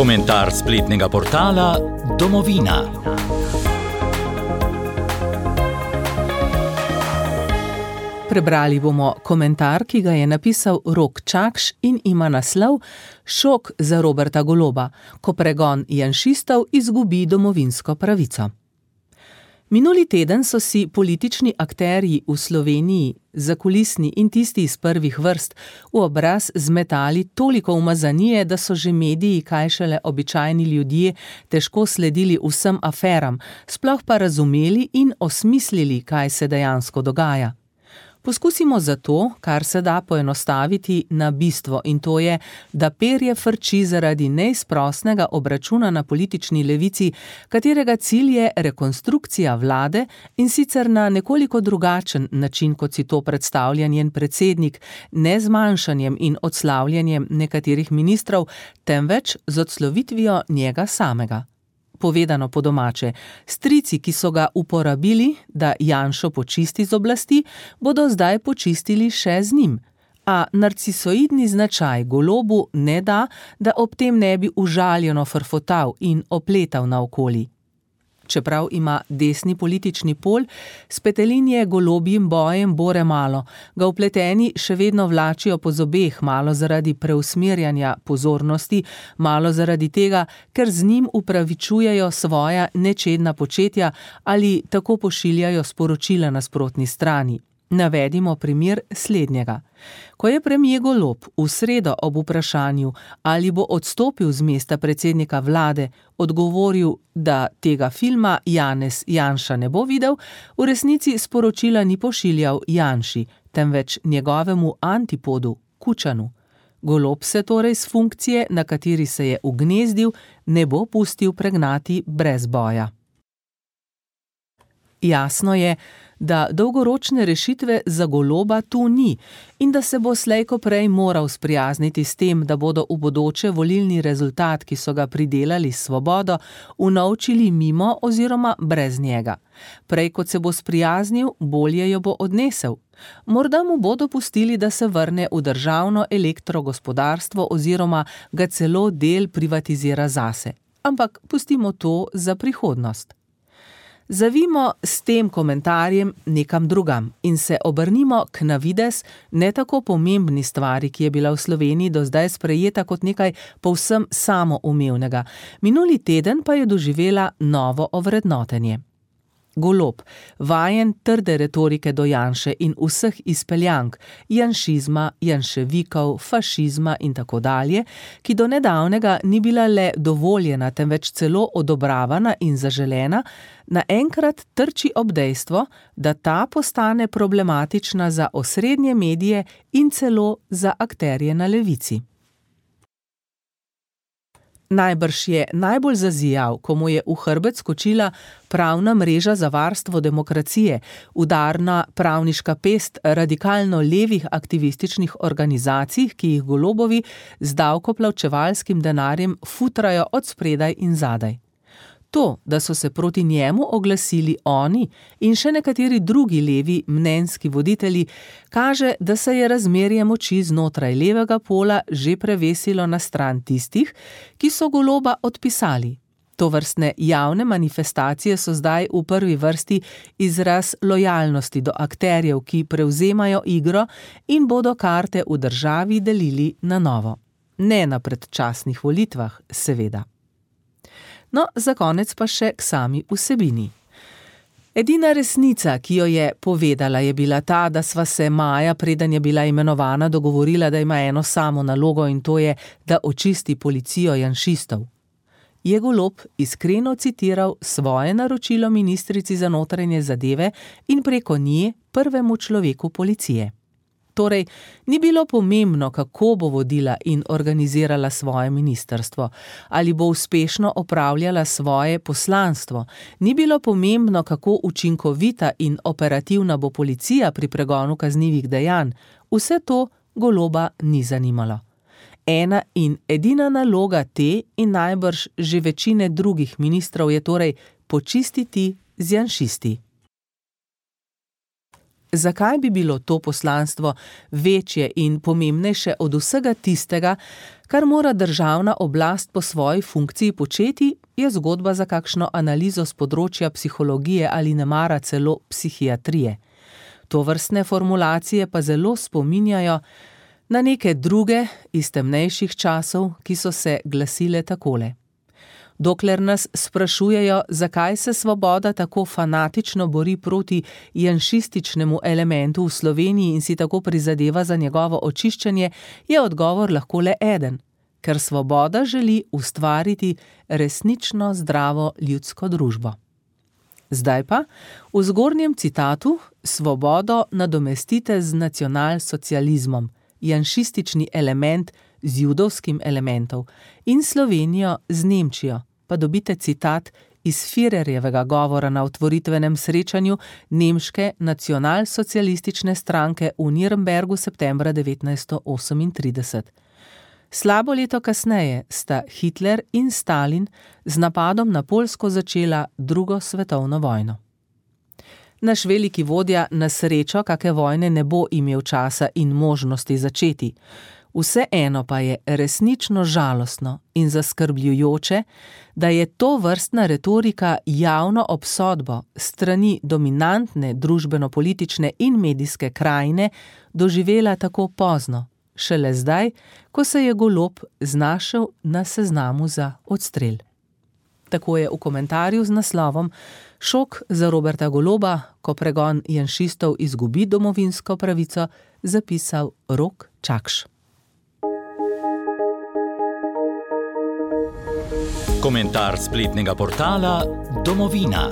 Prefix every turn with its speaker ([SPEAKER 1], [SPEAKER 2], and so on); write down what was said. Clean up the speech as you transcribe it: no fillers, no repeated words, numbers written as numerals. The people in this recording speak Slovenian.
[SPEAKER 1] Komentar spletnega portala Domovina.
[SPEAKER 2] Prebrali bomo komentar, ki ga je napisal Rok Čakš in ima naslov Šok za Roberta Goloba, ko pregon janšistov izgubi domovinsko pravico. Minuli teden so si politični akterji v Sloveniji, zakulisni in tisti iz prvih vrst, v obraz zmetali toliko umazanije, da so že mediji, kaj šele običajni ljudje, težko sledili vsem aferam, sploh pa razumeli in osmislili, kaj se dejansko dogaja. Poskusimo zato, kar se da poenostaviti na bistvo, in to je, da perje frči zaradi neizprosnega obračuna na politični levici, katerega cilj je rekonstrukcija vlade in sicer na nekoliko drugačen način, kot si to predstavlja njen predsednik, ne z manjšanjem in odslavljanjem nekaterih ministrov, temveč z odslovitvijo njega samega. Povedano po domače, strici, ki so ga uporabili, da Janšo počisti z oblasti, bodo zdaj počistili še z njim. A narcisoidni značaj Golobu ne da, da ob tem ne bi užaljeno frfotal in opletal naokoli. Čeprav ima desni politični pol, s petelinje golobjim bojem bore malo, ga vpleteni še vedno vlačijo po zobeh, malo zaradi preusmerjanja pozornosti, malo zaradi tega, ker z njim upravičujejo svoja nečedna početja ali tako pošiljajo sporočila nasprotni strani. Navedimo primer slednjega. Ko je premier Golob v sredo ob vprašanju, ali bo odstopil z mesta predsednika vlade, odgovoril, da tega filma Janez Janša ne bo videl, v resnici sporočila ni pošiljal Janši, temveč njegovemu antipodu, Kučanu. Golob se torej s funkcije, na kateri se je ugnezdil, ne bo pustil pregnati brez boja. Jasno je, da dolgoročne rešitve za Goloba tu ni in da se bo slej ko prej moral sprijazniti s tem, da bodo v bodoče volilni rezultat, ki so ga pridelali s Svobodo, unovčili mimo oziroma brez njega. Prej kot se bo sprijaznil, bolje jo bo odnesel. Morda mu bodo pustili, da se vrne v državno elektrogospodarstvo oziroma ga celo del privatizira zase. Ampak pustimo to za prihodnost. Zavimo s tem komentarjem nekam drugam in se obrnimo k na videz ne tako pomembni stvari, ki je bila v Sloveniji do zdaj sprejeta kot nekaj povsem samoumevnega. Minuli teden pa je doživela novo ovrednotenje. Golob, vajen trde retorike do Janše in vseh izpeljank, janšizma, janševikov, fašizma in tako dalje, ki do nedavnega ni bila le dovoljena, temveč celo odobravana in zaželena, naenkrat trči ob dejstvo, da ta postane problematična za osrednje medije in celo za akterje na levici. Najbrž je najbolj zazijal, ko mu je v hrbet skočila pravna mreža za varstvo demokracije, udarna pravniška pest radikalno levih aktivističnih organizacij, ki jih Golobovi z davkoplačevalskim denarjem futrajo od spredaj in zadaj. To, da so se proti njemu oglasili oni in še nekateri drugi levi mnenjski voditelji, kaže, da se je razmerje moči znotraj levega pola že prevesilo na stran tistih, ki so Goloba odpisali. Tovrstne javne manifestacije so zdaj v prvi vrsti izraz lojalnosti do akterjev, ki prevzemajo igro in bodo karte v državi delili na novo. Ne na predčasnih volitvah, seveda. No, za konec pa še k sami vsebini. Edina resnica, ki jo je povedala, je bila ta, da sva se maja, preden je bila imenovana, dogovorila, da ima eno samo nalogo in to je, da očisti policijo janšistov. Je Golob iskreno citiral svoje naročilo ministrici za notranje zadeve in preko nje prvemu človeku policije. Torej, ni bilo pomembno, kako bo vodila in organizirala svoje ministrstvo, ali bo uspešno opravljala svoje poslanstvo, ni bilo pomembno, kako učinkovita in operativna bo policija pri pregonu kaznivih dejanj, vse to Goloba ni zanimalo. Ena in edina naloga te in najbrž že večine drugih ministrov je torej počistiti z janšisti. Zakaj bi bilo to poslanstvo večje in pomembnejše od vsega tistega, kar mora državna oblast po svoji funkciji početi, je zgodba za kakšno analizo z področja psihologije ali nemara celo psihiatrije. Tovrstne formulacije pa zelo spominjajo na neke druge iz temnejših časov, ki so se glasile takole. Dokler nas sprašujejo, zakaj se Svoboda tako fanatično bori proti janšističnemu elementu v Sloveniji in si tako prizadeva za njegovo očiščenje, je odgovor lahko le eden, ker Svoboda želi ustvariti resnično zdravo ljudsko družbo. Zdaj pa, v zgornjem citatu, Svobodo nadomestite z nacionalsocializmom, janšistični element z judovskim elementom in Slovenijo z Nemčijo, pa dobite citat iz Führerjevega govora na otvoritvenem srečanju nemške nacionalsocialistične stranke v Nürnbergu septembra 1938. Slabo leto kasneje sta Hitler in Stalin z napadom na Poljsko začela drugo svetovno vojno. Naš veliki vodja na srečo kake vojne ne bo imel časa in možnosti začeti. Vseeno pa je resnično žalostno in zaskrbljujoče, da je to vrstna retorika javno obsodbo strani dominantne družbeno-politične in medijske krajine doživela tako pozno, šele zdaj, ko se je Golob znašel na seznamu za odstrel. Tako je v komentarju z naslovom Šok za Roberta Goloba, ko pregon janšistov izgubi domovinsko pravico, zapisal Rok Čakš.
[SPEAKER 1] Komentar spletnega portala Domovina.